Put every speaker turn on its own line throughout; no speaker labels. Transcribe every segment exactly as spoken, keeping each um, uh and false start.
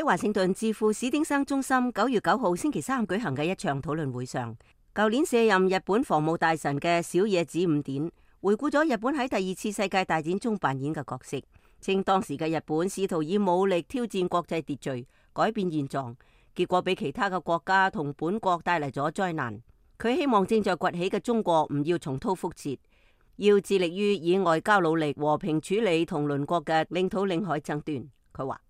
喺華盛頓智庫史丁生中心九月九號星期三舉行嘅一場討論會上，舊年卸任日本防務大臣嘅小野寺五典回顧咗日本喺第二次世界大戰中扮演嘅角色，稱當時嘅日本試圖以武力挑戰國際秩序，改變現狀，結果俾其他嘅國家同本國帶嚟咗災難。佢希望正在崛起嘅中國唔要重蹈覆轍，要致力於以外交努力和平處理同鄰國嘅領土領海爭端。佢話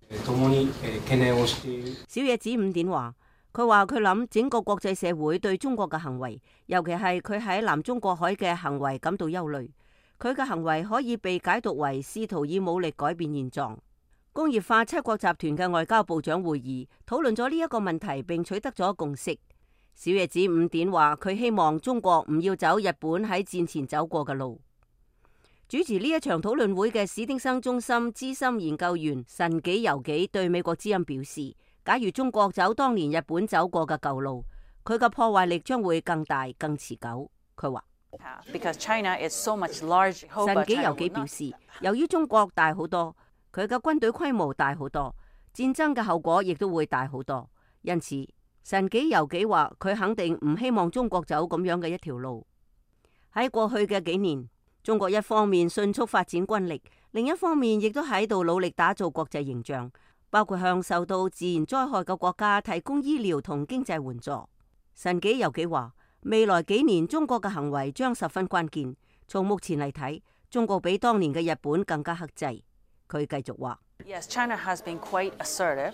小野寺五典話，佢話佢諗整個國際社會對中國嘅行為，尤其係佢喺南中國海嘅行為感到憂慮。佢嘅行為可以被解讀為試圖以武力改變現狀。工業化七國集團嘅外交部長會議討論咗呢一個問題，並取得咗共識。小野寺五典話，佢希望中國唔要走日本喺戰前走過嘅路。主持呢一場討論會嘅史丁生中心資深研究員神紀由紀對美國之音表示，假如中國走當年日本走過嘅舊路，佢嘅破壞力將會更大更持久。佢話
so
神紀由紀表示，由於中國大好多，佢嘅軍隊規模大好多，戰爭嘅後果亦都會大好多，因此神紀由紀話佢肯定唔希望中國走咁樣嘅一條路。喺過去嘅幾年，中國一方面迅速發展軍力，另一方面亦都喺度努力打造國際形象，包括向受到自然災害嘅國家提供醫療同經濟援助。神紀由紀話，未來幾年中國嘅行為將十分關鍵。從目前嚟睇，中國比當年嘅日本更加克制。佢繼續話
，Yes, China has been quite assertive,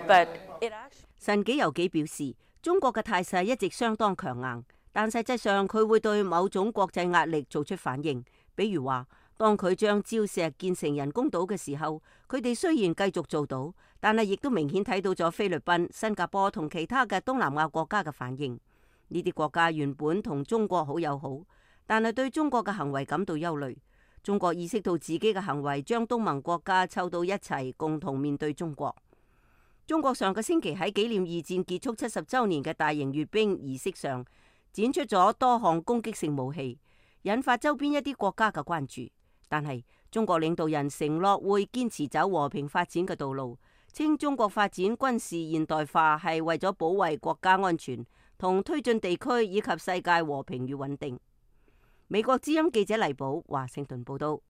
but it actually...
神紀由紀表示，中國嘅態勢一直相當強硬，但實際上佢會對某種國際壓力做出反應。比如話，當佢將礁石建成人工島嘅時候，佢哋雖然繼續做到，但係亦都明顯睇到咗菲律賓、新加坡同其他嘅東南亞國家嘅反應。呢啲國家原本同中國好友好，但係對中國嘅行為感到憂慮。中國意識到自己嘅行為將東盟國家湊到一齊，共同面對中國。中國上個星期喺紀念二戰結束七十週年嘅大型閱兵儀式上，展出咗多項攻擊性武器，引發周邊一啲國家嘅關注。但係中國領導人承諾會堅持走和平發展嘅道路，稱中國發展軍事現代化係為咗保衛國家安全同推進地區以及世界和平與穩定。美國之音記者黎寶華盛頓報道。